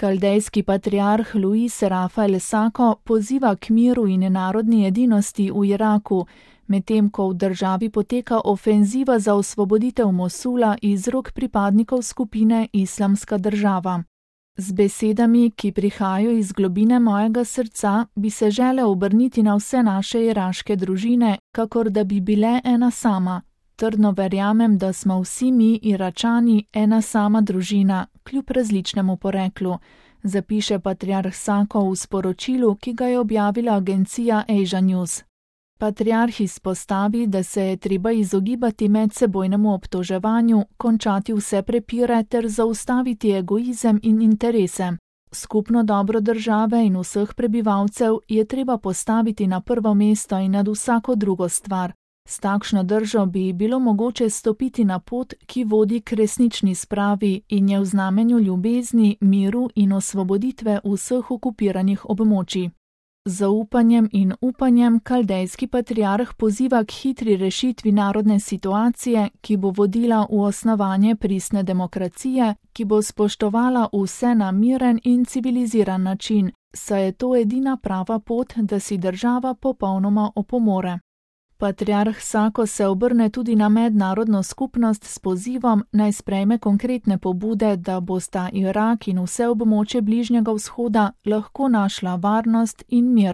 Kaldejski patriarh Luis Rafael Sako poziva k miru in narodni edinosti v Iraku, medtem ko v državi poteka ofenziva za osvoboditev Mosula iz rok pripadnikov skupine Islamska država. Z besedami, ki prihajajo iz globine mojega srca, bi se želel obrniti na vse naše iraške družine, kakor da bi bile ena sama. Trdno verjamem, da smo vsi mi, Iračani, ena sama družina, kljub različnemu poreklu, zapiše patriarh Sako v sporočilu, ki ga je objavila agencija Asia News. Patriarh izpostavi, da se je treba izogibati medsebojnemu obtoževanju, končati vse prepire ter zaustaviti egoizem in interese. Skupno dobro države in vseh prebivalcev je treba postaviti na prvo mesto in nad vsako drugo stvar. S takšno držo bi bilo mogoče stopiti na pot, ki vodi k resnični spravi in je v znamenju ljubezni, miru in osvoboditve vseh okupiranih območij. Z zaupanjem in upanjem kaldejski patriarh poziva k hitri rešitvi narodne situacije, ki bo vodila v osnovanje pristne demokracije, ki bo spoštovala vse na miren in civiliziran način, saj je to edina prava pot, da si država popolnoma opomore. Patriarh Sako se obrne tudi na mednarodno skupnost s pozivom, naj sprejme konkretne pobude, da bosta Irak in vse območje Bližnjega vzhoda lahko našla varnost in mir.